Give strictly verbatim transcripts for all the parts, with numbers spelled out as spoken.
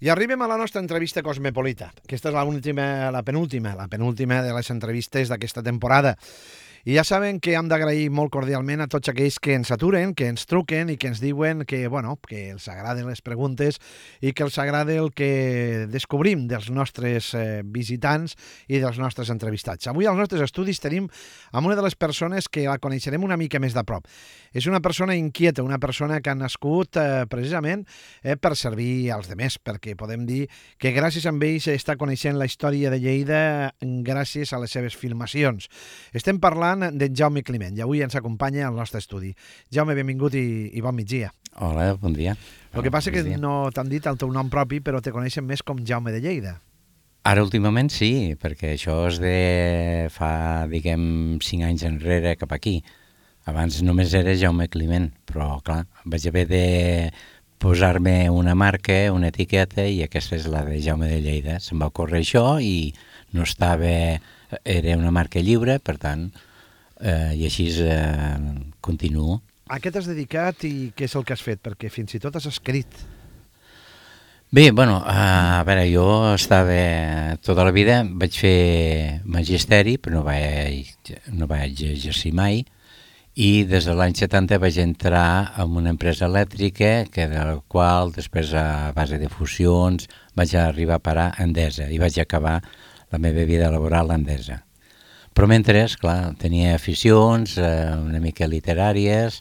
I arribem a la nostra entrevista cosmopolita. Aquesta és la, última, la penúltima, la penúltima de les entrevistes d'aquesta temporada. I ja saben que hem d'agrair molt cordialment a tots aquells que ens aturen, que ens truquen i que ens diuen que, bueno, que els agraden les preguntes i que els agrada el que descobrim dels nostres eh, visitants i dels nostres entrevistats. Avui als nostres estudis tenim amb una de les persones que la coneixerem una mica més de prop. És una persona inquieta, una persona que ha nascut eh, precisament eh, per servir als demés, perquè podem dir que gràcies a ell s'està coneixent la història de Lleida gràcies a les seves filmacions. Estem parlant d'en Jaume Climent i avui ens acompanya al nostre estudi. Jaume, benvingut i, i bon migdia. Hola, bon dia. El que passa és que no t'han dit el teu nom propi, però te coneixen més com Jaume de Lleida. Ara últimament sí, perquè això és de fa, diguem, cinc anys enrere cap aquí. Abans només era Jaume Climent, però clar, vaig haver de posar-me una marca, una etiqueta, i aquesta és la de Jaume de Lleida. Se'm va ocórrer això i no estava... Era una marca lliure, per tant, eh, i així eh, continuo. A què t'has dedicat i què és el que has fet? Perquè fins i tot has escrit. Bé, bueno, a veure, jo estava tota la vida, vaig fer magisteri, però no vaig, no vaig exercir mai, i des de l'any setanta vaig entrar en una empresa elèctrica, que de la qual després, a base de fusions, vaig arribar a parar a Endesa i vaig acabar la meva vida laboral a Endesa. Però mentre, clar, tenia aficions eh, una mica literàries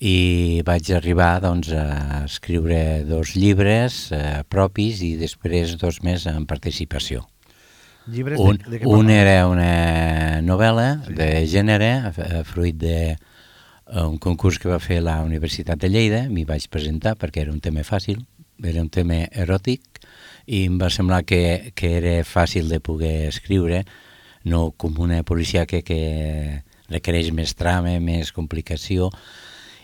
i vaig arribar doncs, a escriure dos llibres eh, propis i després dos més en participació. Llibres un, de, de un era una novel·la sí. de gènere, fruit d'un concurs que va fer la Universitat de Lleida. M'hi vaig presentar perquè era un tema fàcil, era un tema eròtic, i em va semblar que, que era fàcil de poder escriure, no com una policia que, que requereix més trama, més complicació.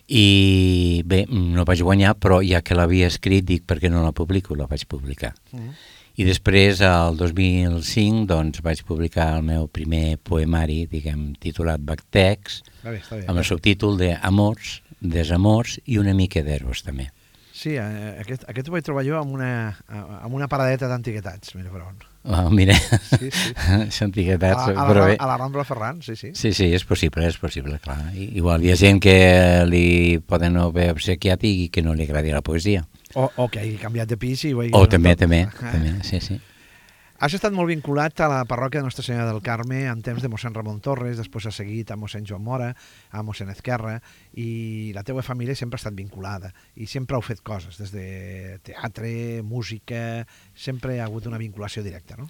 I bé, no vaig guanyar, però ja que l'havia escrit, dic, per què no la publico? La vaig publicar. Mm. I després, el dos mil cinc, doncs, vaig publicar el meu primer poemari, diguem, titulat Bactex, està bé, està bé, amb el subtítol de Amors, Desamors i una mica d'Eros, també. Sí, aquest, aquest ho vaig trobar jo amb una, amb una paradeta d'antiguitats, mira per on. Oh, mira, sí, sí. antiguitats, a, a, però la, bé. A la Rambla Ferran, sí, sí. Sí, sí, és possible, és possible, clar. I, igual hi ha gent que li poden haver obsequiat i que no li agradi la poesia. O, o que hagi canviat de pis i ho hagi... O també, també, també, sí, sí. Has estat molt vinculat a la parròquia de Nostra Senyora del Carme en temps de mossèn Ramon Torres, després has seguit a mossèn Joan Mora, a mossèn Ezquerra, i la teva família sempre ha estat vinculada i sempre heu fet coses, des de teatre, música, sempre hi ha hagut una vinculació directa, no?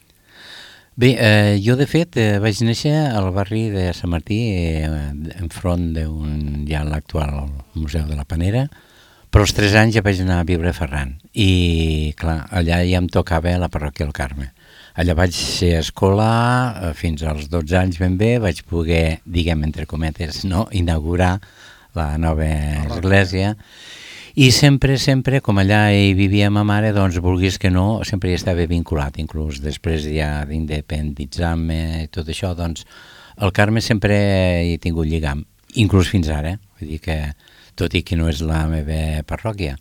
Bé, eh, jo de fet eh, vaig néixer al barri de Sant Martí, eh, enfront d'un ja l'actual Museu de la Panera, però als tres anys ja vaig anar a viure a Ferran i clar, allà ja em tocava la parròquia del Carme. Allà vaig ser escolar fins als dotze anys ben bé, vaig poder, diguem, entre cometes, no, inaugurar la nova església. I sempre, sempre, com allà hi vivia ma mare, doncs, vulguis que no, sempre hi estava vinculat, inclús després ja d'independitzar-me i tot això, doncs, el Carme sempre hi he tingut lligam, inclús fins ara, vull dir que, tot i que no és la meva parròquia,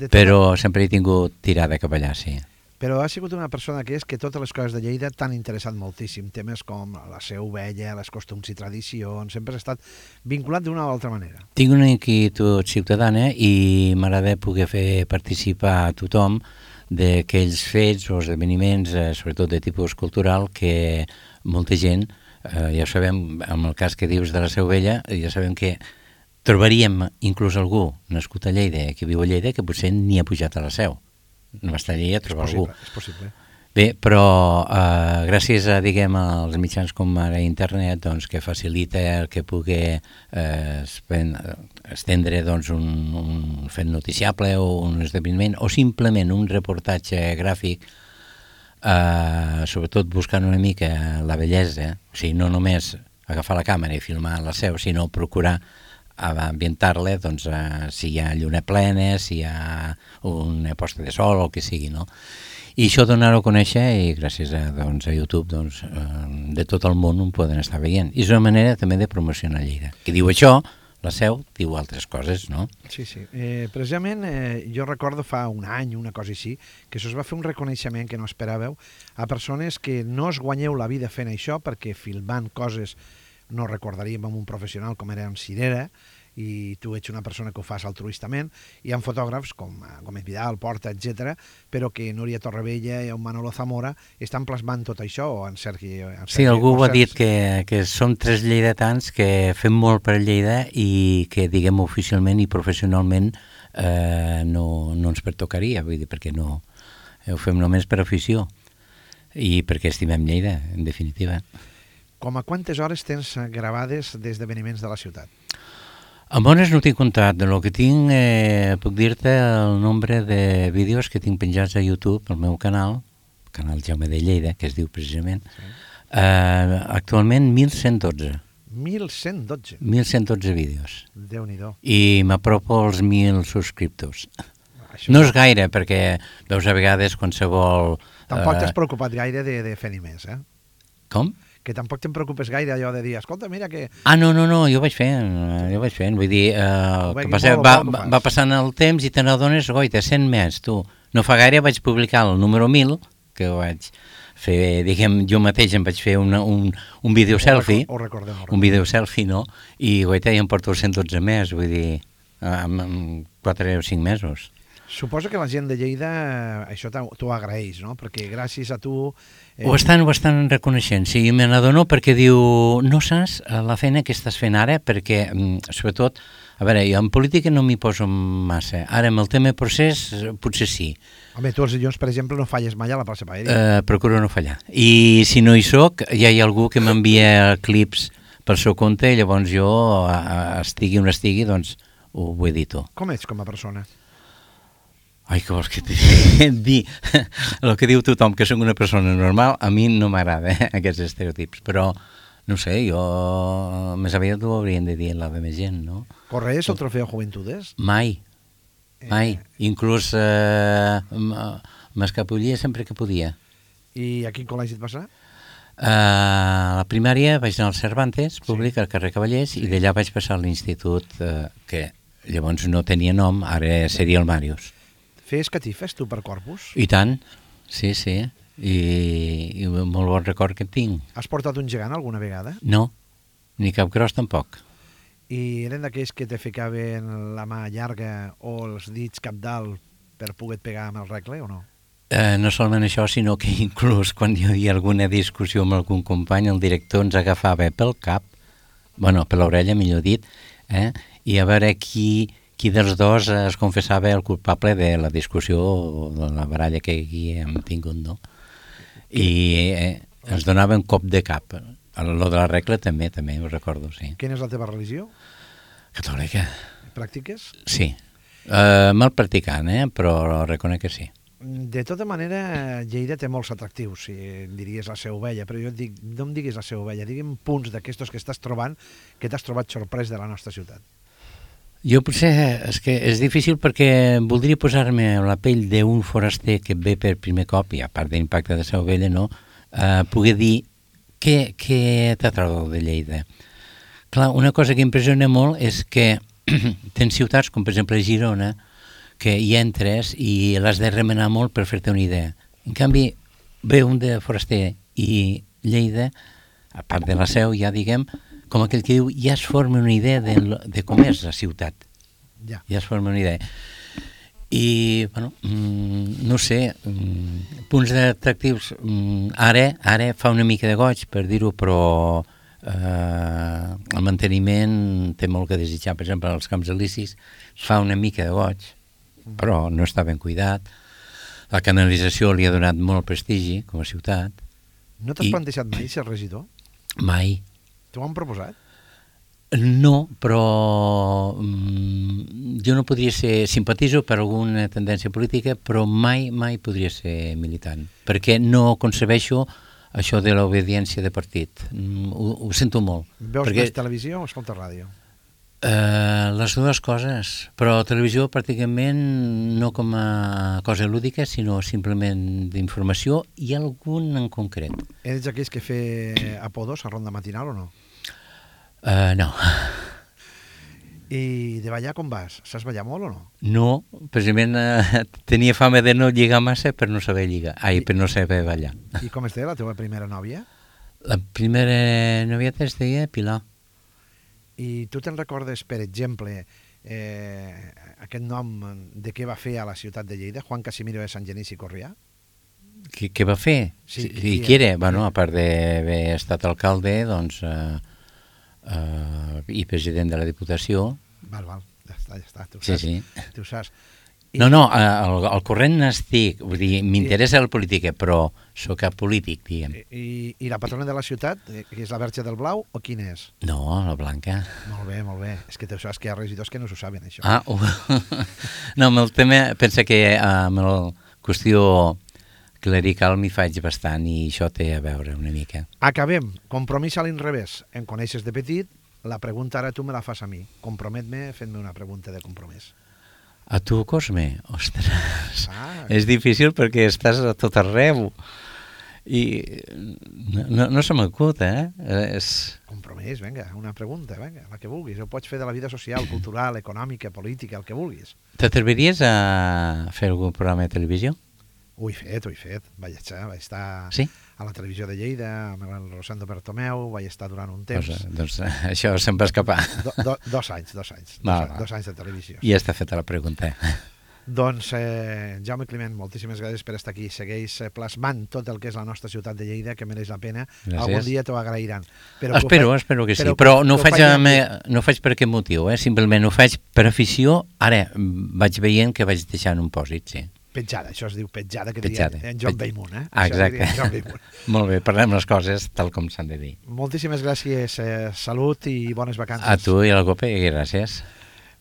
però sempre he tingut tirada cap allà, sí. Però ha sigut una persona que és que totes les coses de Lleida t'han interessat moltíssim, temes com la seu vella, les costums i tradicions, sempre has estat vinculat d'una o altra manera. Tinc una inquietud ciutadana i m'agrada poder fer participar a tothom d'aquells fets o esdeveniments, eh, sobretot de tipus cultural, que molta gent, eh, ja ho sabem, amb el cas que dius de la seu vella, ja sabem que trobaríem inclús algú nascut a Lleida, que viu a Lleida, que potser ni ha pujat a la seu. No m'estaria a trobar algú. És possible. Bé, però eh, gràcies a, diguem, als mitjans com ara internet, doncs, que facilita el que pugui eh, estendre doncs, un, un fet noticiable o un esdeveniment o simplement un reportatge gràfic, eh, sobretot buscant una mica la bellesa, o sigui, no només agafar la càmera i filmar la seu, sinó procurar a ambientar-la, doncs, eh, si hi ha lluna plena, si hi ha una posta de sol o el que sigui, no? I això donar-ho a conèixer i gràcies a, doncs, a YouTube doncs, eh, de tot el món ho poden estar veient. I és una manera també de promocionar Lleida. Qui diu això, La Seu diu altres coses, no? Sí, sí. Eh, precisament, eh, jo recordo fa un any, una cosa així, que se us va fer un reconeixement que no esperàveu a persones que no es guanyeu la vida fent això, perquè filmant coses no recordaríem amb un professional com era en Cirera, i tu ets una persona que ho fas altruistament, i hi ha fotògrafs com Gómez Vidal, Porta, etcètera, però que Núria Torrevella i en Manolo Zamora estan plasmant tot això, o en Sergi... En Sergi Sí, algú ho ha Sergi. dit, que, que som tres lleidatans que fem molt per Lleida i que, diguem, oficialment i professionalment eh, no, no ens pertocaria, vull dir, perquè no ho fem només per afició i perquè estimem Lleida, en definitiva. Com a quantes hores tens gravades d'esdeveniments de la ciutat? Amb bones no tinc comptat. De lo que tinc, eh, puc dir-te el nombre de vídeos que tinc penjats a YouTube, al meu canal, el canal Jaume de Lleida, que es diu precisament, sí. eh, actualment mil cent dotze. mil cent dotze? mil cent dotze vídeos. Déu-n'hi-do. I m'apropo als mil subscriptors. Això No és gaire, perquè veus a vegades qualsevol... Tampoc eh, t'has preocupat gaire de, de fer-hi més, eh? Com? Que tampoc te'n preocupes gaire allò de dir, escolta, mira que... Ah, no, no, no, jo vaig fent, jo vaig fent, vull dir, eh, el Bé, que que passa, molt va, bo que ho va, fas. va passant el temps i te n'adones, goita, cent més, tu. No fa gaire vaig publicar el número mil, que ho vaig fer, diguem, jo mateix em vaig fer una, un, un vídeo selfie, Ho recordem, ho recordem. un vídeo selfie, no? I, goita, ja em porto cent dotze més, vull dir, en, en quatre o cinc mesos. Suposo que la gent de Lleida eh, això t'ho t'ho agraeix, no? Perquè gràcies a tu... Eh... Ho, estan, ho estan reconeixent, sí, me n'adono perquè diu, no saps la feina que estàs fent ara, perquè, sobretot, a veure, jo en política no m'hi poso massa, ara amb el tema procés potser sí. Home, tu els dilluns, per exemple, no falles mai a la plaça Paella. Eh, procuro no fallar. I si no hi soc, ja hi ha algú que m'envia clips pel seu compte i llavors jo, estigui on estigui, doncs ho edito. Com ets com a persona? Ai, que vols que et digui? El que diu tothom, que soc una persona normal, a mi no m'agrada, eh, aquests estereotips, però, no sé, jo més aviat ho haurien de dir a la més gent, no? Correes el trofeu Juventudes? Mai, mai. Eh... Inclús eh, m'escapollia sempre que podia. I a quin col·legi et vas anar? Uh, a la primària vaig anar al Cervantes, públic, sí. al carrer Cavallers, sí. I d'allà vaig passar a l'institut, uh, que llavors no tenia nom, ara seria el Màrius. Fes catifes, tu, per Corpus? I tant, sí, sí, i, i un molt bon record que tinc. Has portat un gegant alguna vegada? No, ni cap gros tampoc. I eren d'aquells que te ficaven la mà llarga o els dits cap dalt per poder pegar amb el regle o no? Eh, no solament això, sinó que inclús quan hi havia alguna discussió amb algun company, el director ens agafava pel cap, bueno, per l'orella, millor dit, eh, i a veure qui... qui dels dos es confessava el culpable de la discussió o de la baralla que aquí hem tingut, no? I eh, ens donava un cop de cap. Lo de la regla també, també ho recordo, sí. Quina és la teva religió? Catòlica. Pràctiques? Sí. Uh, mal practicant, eh? Però reconec que sí. De tota manera, Lleida té molts atractius, si diries la seva ovella, però jo et dic, no em diguis la seva ovella, digue'm punts d'aquestos que estàs trobant, que t'has trobat sorprès de la nostra ciutat. Jo potser és que és difícil perquè voldria posar-me a la pell d'un foraster que ve per primer cop, i a part de l'impacte de Seu Vella, no? Uh, poder dir què, què t'atrau de Lleida. Clar, una cosa que impressiona molt és que tens ciutats com per exemple Girona, que hi entres i l'has de remenar molt per fer-te una idea. En canvi, ve un de foraster i Lleida, a part de la Seu, ja diguem, com aquell que diu, ja es forma una idea de, de com és la ciutat. Ja. Ja es forma una idea. I, bueno, mm, no sé, mm, punts atractius. Mm, ara, ara fa una mica de goig, per dir-ho, però eh, el manteniment té molt que desitjar. Per exemple, als Camps Elisis fa una mica de goig, però no està ben cuidat. La canalització li ha donat molt prestigi com a ciutat. No t'has I... plantejat mai ser regidor? Mai. T'ho han proposat? No, però mm, jo no podria ser, simpatizo per alguna tendència política, però mai, mai podria ser militant, perquè no concebeixo això de l'obediència de partit. Mm, ho, ho sento molt. Veus perquè, més televisió o escoltes ràdio? Eh, les dues coses, però televisió pràcticament no com a cosa lúdica, sinó simplement d'informació i algun en concret. Ets aquells que fer apodos a ronda matinal o no? Uh, no. I de ballar com vas? Saps ballar molt o no? No, precisament eh, tenia fama de no lligar massa per no saber lligar. Ai, per no saber ballar. I com es deia la teva primera nòvia? La primera novieta es deia Pilar. I tu te'n recordes, per exemple, eh, aquest nom de què va fer a la ciutat de Lleida, Juan Casimiro de Sant Genís i Corrià? Què, què va fer? Sí, I qui qui era? era? Bueno, a part d'haver estat alcalde, doncs, eh, eh, i president de la Diputació. Val, val, ja està, ja està, tu ho Sí, saps. sí. Tu ho saps. I, No, no, eh, al, al corrent n'estic, vull dir, m'interessa la política, però sóc apolític, diguem. i, I la patrona de la ciutat, eh, que és la Verge del Blau, o quina és? No, la Blanca. Molt bé, molt bé. És que tu saps que hi ha regidors que no s'ho saben, això. Ah, uh, no, amb el tema, pensa que eh, amb la qüestió clerical m'hi faig bastant i això té a veure una mica. Acabem. Compromís a l'inrevés. Em coneixes de petit, la pregunta ara tu me la fas a mi. Compromet-me fent-me una pregunta de compromís. A tu, Cosme? Ostres, Ah, és difícil perquè estàs a tot arreu i no, no, no se m'acut, eh? És... compromís, vinga, una pregunta, vinga, la que vulguis. Ho pots fer de la vida social, cultural, econòmica, política, el que vulguis. T'atreviries a fer algun programa de televisió? Ho he fet, ho he fet. Vaig estar, vaig estar Sí? a la televisió de Lleida, amb el Rosendo Bertomeu, vaig estar durant un temps. Doncs, doncs això se'm va escapar. Do, do, dos anys, dos anys. Va, dos, va. dos anys de televisió. Ja està feta la pregunta. Doncs, eh, Jaume Climent, moltíssimes gràcies per estar aquí. Segueix eh, plasmant tot el que és la nostra ciutat de Lleida, que mereix la pena. Gràcies. Algun dia t'ho agrairan. Però que ho Espero, faig- espero que sí. però Però, que- no, que ho ho faig faci amb, amb- no ho faig per aquest motiu, eh? Simplement ho faig per afició. Ara mm, vaig veient que vaig deixant un pòsit, sí. Petjada, això es diu petjada, que Petjada. diria en John Pet- Beymoon, eh? Ah, Això exacte. diria en John Beymoon. Molt bé, parlem les coses tal com s'han de dir. Moltíssimes gràcies, eh, salut i bones vacances. A tu i a la Copa, i gràcies.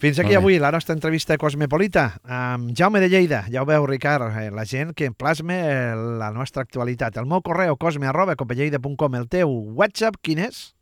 Fins aquí Molt bé. avui la nostra entrevista cosmopolita amb Jaume de Lleida. Ja ho veu, Ricard, eh, la gent que plasma eh, la nostra actualitat. El meu correu cosme arroba copelleida punt com. El teu WhatsApp, quin és?